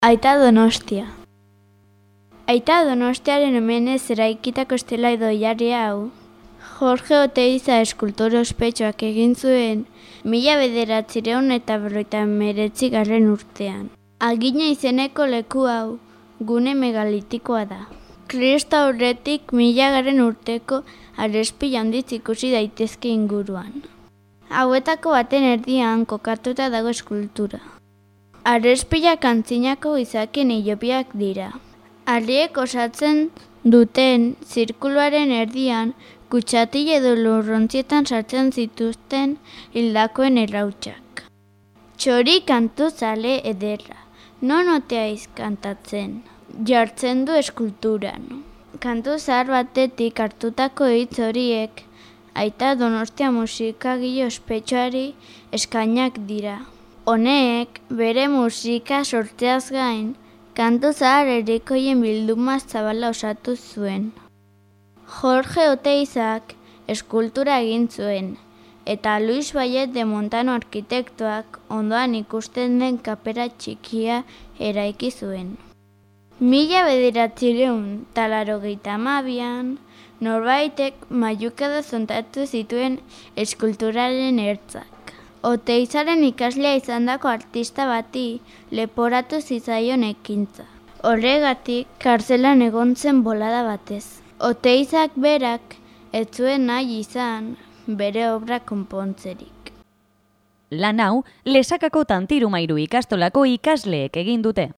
Aita Donostia. Aita Donostiaren omenez eraikitako estela idoiari hau, Jorge Oteiza eskultor ospetsuak egin zuen 1959 urtean. Agina izeneko leku hau gune megalitikoa da. Kristo aurretik 1000 urteko arespila handiz ikusi daitezke inguruan. Hauetako baten erdian kokatuta dago eskultura. Arespilak antzinako izakien ilobiak dira. Harriek osatzen duten zirkuluaren erdian kutxatil edo lurrontzietan sartzen zituzten hildakoen errautsak. Txori kantu zale ederra, non oteaiz kantatzen, jartzen du eskulturan. Kantu zahar batetik hartutako hitz horiek Aita Donostia musikagile ospetsuari eskainak dira. Honek, bere musika sortzeaz gain, kantu zahar herrikoien bilduma zabala osatu zuen. Jorge Oteizak eskultura egin zuen, eta Luis Vallet de Montano arkitektoak ondoan ikusten den kapera txikia eraiki zuen. 1982an, norbaitek mailukada zontatu zituen eskulturaren ertzak. Oteizaren ikaslea izandako artista bati leporatu zitzaion ekintza. Horregatik, kartzelan egon zen bolada batez. Oteizak berak ez zuen nahi izan bere obra konpontzerik. Lan hau, Lesakako Tantirumairu ikastolako ikasleek egin dute.